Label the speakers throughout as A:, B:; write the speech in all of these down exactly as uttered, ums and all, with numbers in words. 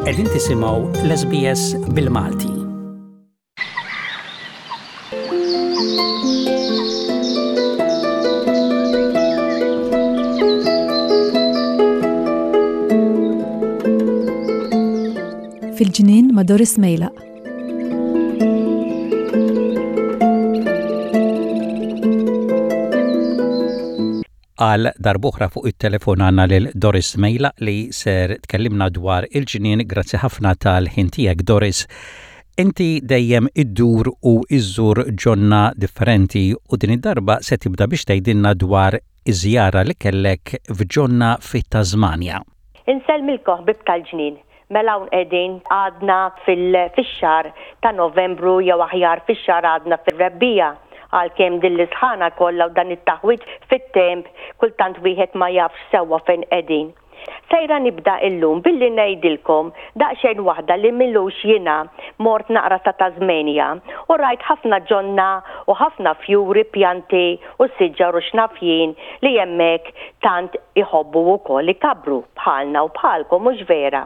A: Qegħdin tisimgħu l-S B S bil-Malti.
B: Fil-ġnien ma' Doris Mejlaq.
A: Għal darb'oħra fuq it-telefon għandna lil Doris Mejlaq li ser tkellimna dwar il-ġnien. Grazzi ħafna tal-ħin tiegħek, Doris. Inti dejjem iddur u iżżur ġonna differenti u din id-darba se tibda biex tgħidilna dwar iż-żjara li kellek f'ġonna fit-Tasmania.
C: Insellmilkom, ħbieb tal-ġnien. Mela hawn qegħdin għadna fil-xahar ta' Novembru, jew aħjar fix-xahar għadna fil-rebbiegħa, għalkemm din l-isħana kollha u dan it-taħwit fit-temp kultant wieħed ma jafx sewwa fejn qegħdin. Sejra nibda illum billi ngħidilkom daqsxejn waħda li m'ilux jiena mort naqra ta' Tasmania u rajt ħafna ġonna u ħafna fjuri, pjanti u siġar u x'naf jien li hemmhekk tant iħobbu wkoll ikabru bħalna u bħalkom, mhux vera?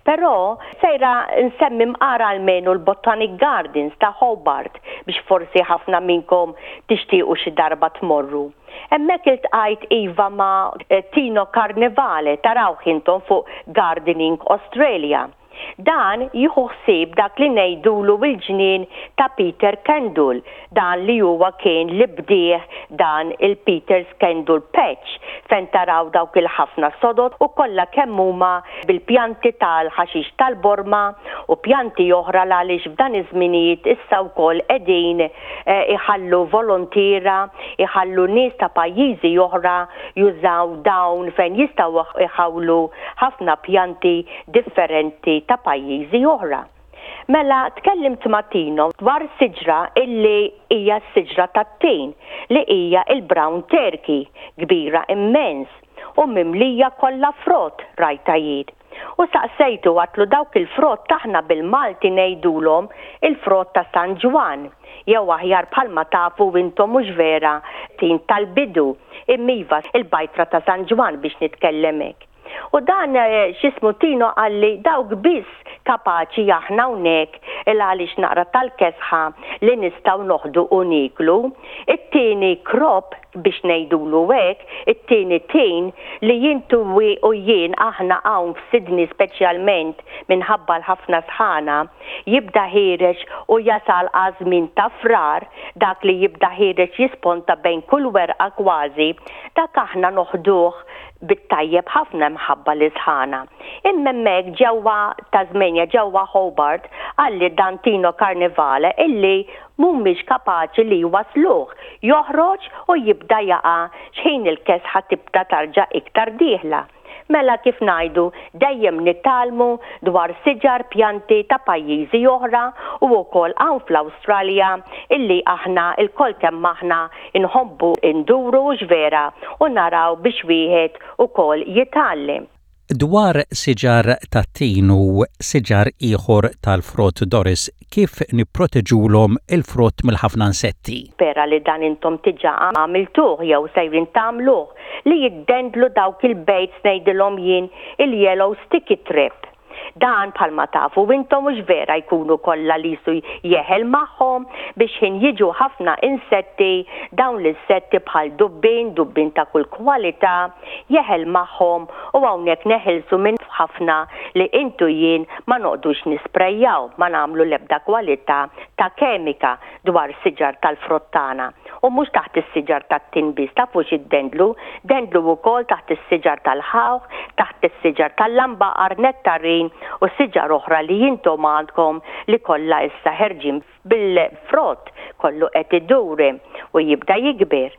C: Però sejra nsemmi mqar almenu l-Botanic Gardens ta' Hobart biex forsi ħafna minnkom tixtiequ xi darba tmorru. Hemmhekk iltqajt iva ma' Tino Carnevale, tarawh intom fuq Gardening Australia. Dan jieħu ħsieb dak li ngħidulu il-ġnien ta' Peter Kendall, dan li huwa kien li bdieh dan il-Peter's Kendall Patch, fejn taraw dawk il-ħafna sodod u kollha kemm huma bil-pjanti tal-ħaxix tal-borma u pjanti oħra, għaliex f'dan iż-żminijiet issa wkoll qegħdin eh, iħallu volontiera, iħallu nies ta' pajjiżi oħra jużaw dawn fejn jistgħu iħawlu ħafna pjanti differenti ta' pajjiżi oħra. Mela tkellimt ma' Tino dwar siġra illi hija s-siġra tat-tin, li hija il-brown turkey, kbira immens u mimlija kollha frott rajta jien. U saqsejtu, għedtlu dawk il-frott aħna bil-Malti ngħidulhom il-frott ta' San Ġwan. Jew aħjar, bħalma tafu intom, mhux vera, tin tal-bidu, imma iva, il-bajtra ta' San Ġwan biex nitkellem hekk. U dan eh, x'jismu Tino qalli dawk biss kapaċi aħna hawnhekk il għaliex naqra tal-kesħa li nistgħu noħdu u niklu. It-tieni crop, biex ngħidulu hekk, it-tieni tin li intu u jien aħna hawn f'Sydney, speċjalment minħabba l-ħafna sħana, jibda ħiereġ u jasal għaż-żmien ta' Frar, dak li jibda ħiereġ jisponta bejn kull werqa kważi, dak aħna noħduh bit-tajjeb ħafna mħabba l-isħana. Imma hemmhekk ġewwa Tasmania, ġewwa Hobart, qalli dan Tino Carnevale illi mhumiex kapaċi li wasluh, joħroġ u jibda jaqa' xħin il-kesħa tibda tarġa' iktar dieħla. Mela kif ngħidu, dejjem nitgħallmu dwar siġar, pjanti ta' pajjiżi oħra u wkoll hawn fl-Awstralja illi aħna lkoll kemm aħna nħobbu nduru, vera, u naraw biex wieħed ukoll jitgħallem.
A: Dwar siġar tat-tin u siġar ieħor tal-frott, Doris, kif nipproteġulhom il-frott mill-ħafna insetti?
C: Pera li dan intom diġà għamiltuh jew sejrin tagħmluh, li jiddendlu dawk il-baits, ngħidilhom jien il-yellow sticky trap. Dan bħalma tafu intom, mhux vera, jkunu kollha li su jeħel magħhom biex ħin jiġu ħafna insetti, dawn l-insetti bħal dubbin, dubbin ta' kull kwalità, jeħel magħhom u hawnhekk neħilsu minn ħafna li intu jien ma noqogħdux nisprejjaw, ma nagħmlu l-ebda kwalità ta' kemika dwar siġar tal-frott tagħna. U mhux taħt is-siġar tat-tin biss, tafu x'iddendlu, dendlu wkoll taħt is-siġar tal-ħawħ, taħt is-siġar tal-lambaqar, nettarin u siġar oħra li intom għandkom li kollha issa ħerġin bil-frott, kollu qed idur u jibda jikber.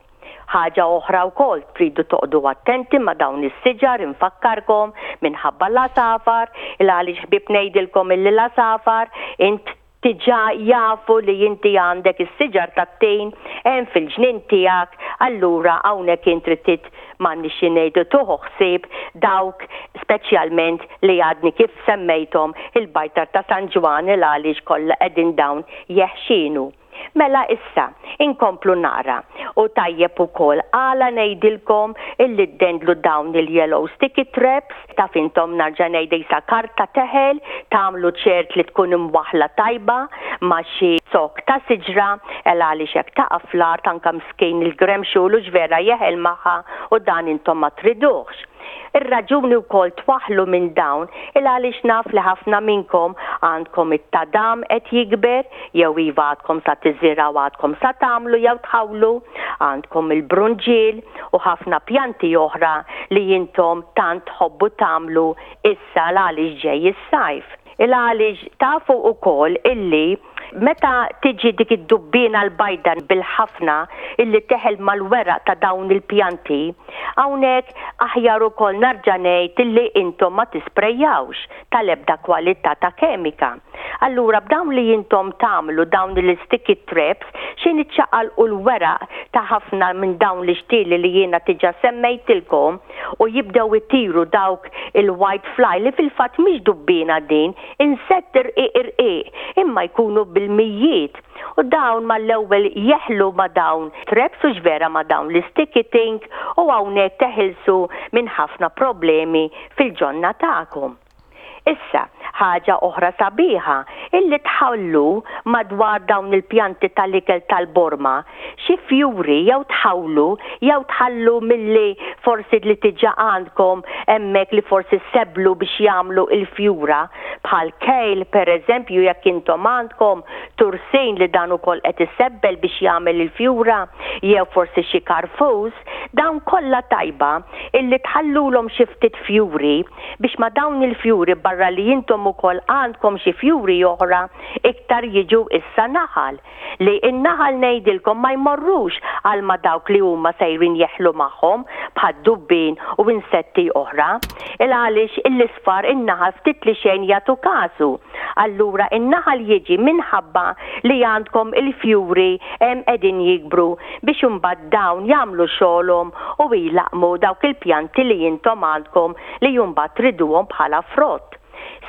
C: Ħaġa oħra wkoll, tridu toqogħdu attenti ma' dawn is-siġar, infakkarkom, minħabba l-għasafar, il għaliex, ħbieb, ngħidilkom illi l-għasafar int diġà jafu li inti għandek is-siġar tat-tin hemm fil-ġnien tiegħek, allura hawnhekk inti trid, m'għandniex ngħidu, tieħu ħsieb dawk speċjalment li għadni kif semmejthom, il-bajtar ta' San Ġwan, il għaliex kollha qegħdin dawn jeħxienu. Mela issa, inkomplu nara. U tajjeb ukoll għala ngħidilkom illi ddendlu dawn il-yellow sticky traps, taf intom narġa' ngħidha isa karta teħel, tagħmlu ċert li tkun imwaħla tajba ma' xi zokk ta' siġra, el għaliex hekk taqa' fl-art anke miskin il-gremxul u vera jeħel magħha u dan intom ma triduhx. Ir-raġuni wkoll twaħħlu minn dawn il għaliex naf li ħafna minnkom għandkom it-tadam qed jikber jew iva għadkom sa tiżirgħu għadkom sa tagħmlu jew tħawlu, għandkom il-brunġiel u ħafna pjanti oħra li intom tant tħobbu tagħmlu issa l għaliex ġej is-sajf. Il għaliex tafu ukoll illi meta tiġi dik id-dubbina l-bajda bil-ħafna illi teħel mal-weraq ta' dawn il-pjanti, hawnhekk aħjar ukoll narġa' ngħid illi intom ma tisprejjawx tal-ebda kwalità ta' kemika. Allura b'dawn li intom tagħmlu dawn il-sticky traps x'ħin iċċaqalqu l-weraq ta' ħafna minn dawn l-ixtieli li jiena diġà semmejtilkom u jibdew itiru dawk il-white fly li fil-fatt mhix dubbina din, insett irqiq irqiq imma jkunu bil-mijiet. U dawn mal-ewwel jeħlu ma' dawn traps u vera ma' dawn l-sticky thing u hawnhekk teħilsu minn ħafna problemi fil-ġonna tagħkom. Issa, ħaġa oħra sabiħa, illi tħallu madwar dawn il-pjanti tal-ikel tal-borma, xi fjuri jew tħawlu jew tħallu milli forsi li diġà għandkom hemmhekk li forsi seblu biex jagħmlu il-fjura bħal kale per eżempju jekk intom għandkom tursin li dan ukoll qed isebbel biex jagħmel il-fjura jew forsi xi karfus, dawn kollha tajba illi tħallulhom xi ftit fjuri biex ma dawn il-fjuri barra li intom ukoll għandkom xi fjuri oħra iktar jiġu issa naħal. Li in-naħal ngħidilkom ma jmorrux għal ma dawk li huma sejrin jeħlu magħhom bħad dubbin u insetti oħra. Il għaliex l-isfar in-naħal ftit li xejn jagħtu kasu. Allura in-naħal jiġi minħabba li għandkom il-fjuri hemm qegħdin jikbru biex imbagħad dawn jagħmlu xogħolhom u jlaqmu dawk il-pjanti li intom għandkom li mbagħad triduhom bħala frott.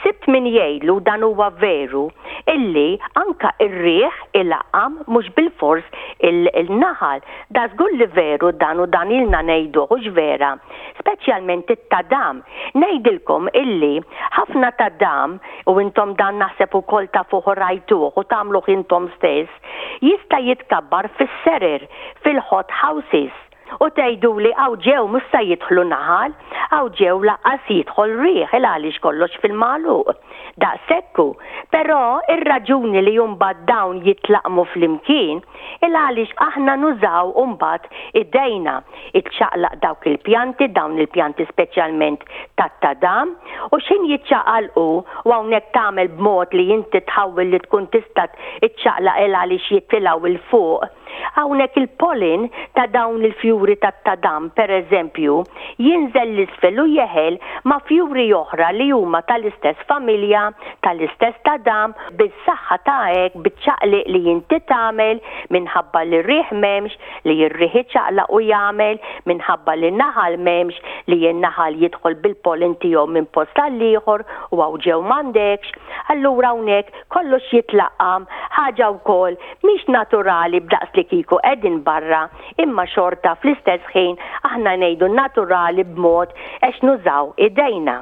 C: Sibt min jgħidlu dan huwa veru illi anka ir-riħ ilaqqam mhux bil-fors il-naħal. Da żgur li veru dan u dan ilna ngħiduh hux vera. Speċjalment it-tadam. Ngħidilkom illi ħafna tadam u intom dan naħseb ukoll tafuh rajtuh u tagħmluh intom stess, jista' jitkabbar fis-serer, fil-hot houses. U tgħidu li hawn ġew mhux se jidħlu naħal, hawn ġew lanqas jidħol riħ il għaliex kollox fil-magħluq. Daqshekk hu. Però ir-raġuni li mbagħad dawn jitlaqmu flimkien il għaliex aħna nużaw mbagħad idejna iċċaqlaq dawk il-pjanti, dawn il-pjanti speċjalment tat-tadam, u x'ħin jiċċaqalqu u hawnhekk tagħmel b'mod li inti tħawwel li tkun tista' iċċaqlaq il għaliex jitilgħu 'il fuq. Hawnhekk il-pollen ta' dawn il-fjuri tat-tadam, per eżempju, jinżel l-isfel u jeħel ma' fjuri oħra li huma tal-istess familja, tal-istess tadam, bis-saħħa ta' hekk biċ-ċaqliq li inti tagħmel minħabba li r-riħ m'hemmx, li r-riħ iċaqlaq u jagħmel, minħabba li naħal m'hemmx, li n-naħal jidħol bil-pollen tiegħu minn post għal ieħor u hawn ġew m'għandekx. Allura hawnhekk kollox jitlaqqam, ħaġa wkoll mhix naturali b'daqs li kieku qegħdin barra, imma xorta fl-istess ħin aħna ngħidu naturali b'mod għax nużaw idejna.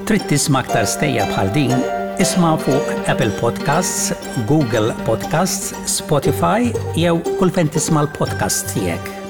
A: Trid tisma' aktar stejjer bħal din? Isma' fuq Apple Podcasts, Google Podcasts, Spotify jew kull fejn tisma' l-podcasts tiegħek.